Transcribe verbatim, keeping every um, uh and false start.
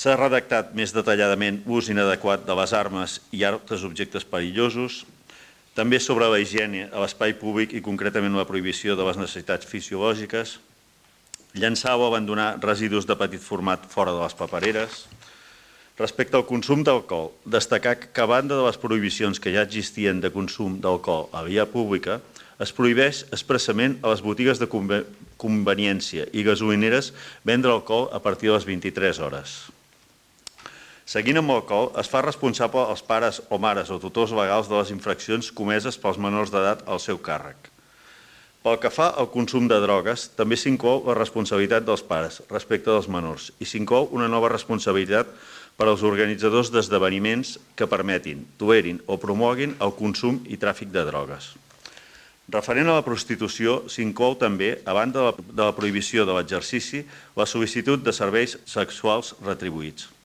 S'ha redactat més detalladament l'ús inadequat de les armes i altres objectes perillosos, també sobre la higiene a l'espai públic i concretament la prohibició de les necessitats fisiològiques, llançar o abandonar residus de petit format fora de les papereres. Respecte al consum d'alcohol, destacar que a banda de les prohibicions que ja existien de consum d'alcohol a via pública, es prohibeix expressament a les botigues de conveniència i gasolineres vendre alcohol a partir de les vint-i-tres hores. Seguint amb l'alcohol, es fa responsable als pares o mares o tutors legals de les infraccions comeses pels menors d'edat al seu càrrec. Pel que fa al consum de drogues, també s'inclou la responsabilitat dels pares respecte dels menors i s'inclou una nova responsabilitat per als organitzadors d'esdeveniments que permetin, tolerin o promoguin el consum i tràfic de drogues. Referent a la prostitució, s'inclou també, a banda de la prohibició de l'exercici, la sol·licitud de serveis sexuals retribuïts.